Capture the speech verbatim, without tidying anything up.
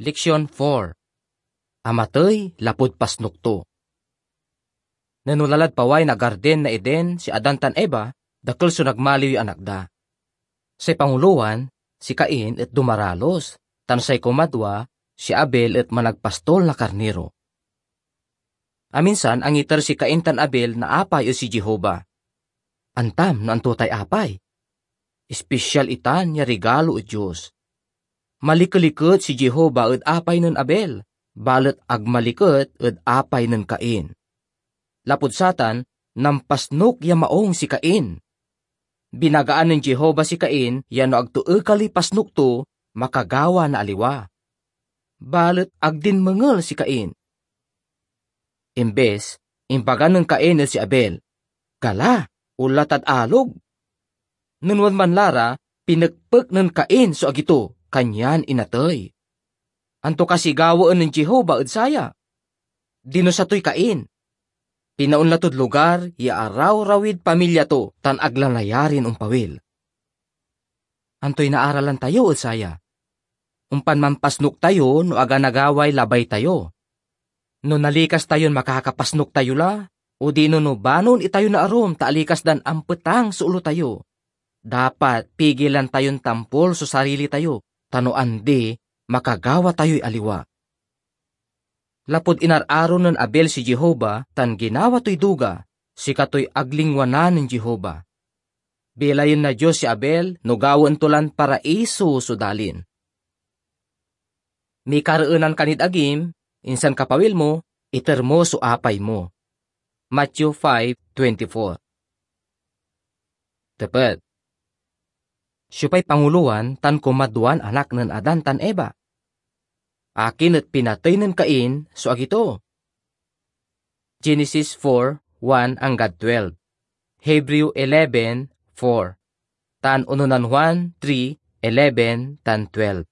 Leksion four. Amatey lapud pasnok to. Nen onla lad paway na Garden na Eden si Adan tan Eva, dakel so nagmaliw ya anak da. Say pangulowan, si Cain et dumaralos, tan say kumadwa, si Abel et managpastol na karniro. Aminsan angiter si Cain tan Abel na apay ed si Jehovah. Antam no anto tay apay? Espesial itan ya rigalo ed Dios. Malikeliket si Jehovah ed apay nen Abel, balet ag maliket ed apay nen Cain. Lapud satan, nampasnok ya maung si Cain. Binagaan nen Jehovah si Cain ya no ag to ekali pasnok to, makagawa na aliwa. Balet ag dinmengel si Cain. Imbes, imbaga nen Cain ed si Abel, "Gala, onla tad alog." Nen wadman la ra, pinekpek nen Cain so agi to, kanyan inatey. Anto kasi gawaen nen Jehovah ed saya? Dinusa toy Cain. Pinaonla tod lugar ya arawrawid pamilya to tan ag la nayarin ompawil. Antoy naaralan tayo ed saya? Ompan manpasnok tayo no ag a nagaway labay tayo. No nalikas tayon makakapasnok tayo la, odino no banon itayo na arum ta alikas dan ampetang so olo tayo, dapat pigilan tayon tampol so sarili tayo, ta no andi, makagawa tayoy aliwa. Lapud inar-aro nen Abel si Jehovah tan ginawa toy duga, sikatoy ag lingwanan nen Jehovah. Bilayen na Dios si Abel no gawaen to lan paraiso so dalin. Mikareenan ka nid agim, insan kapawil mo, iter mo so apay mo. Matthew five twenty-four. Tepet. Siopay pangulowan tan kumadwan anak nen Adan tan Eva? Akin et pinatey nen Cain so agi to? Genesis four one anggad twelve, Hebreo eleven four, tan ononan Juan three eleven tan twelve.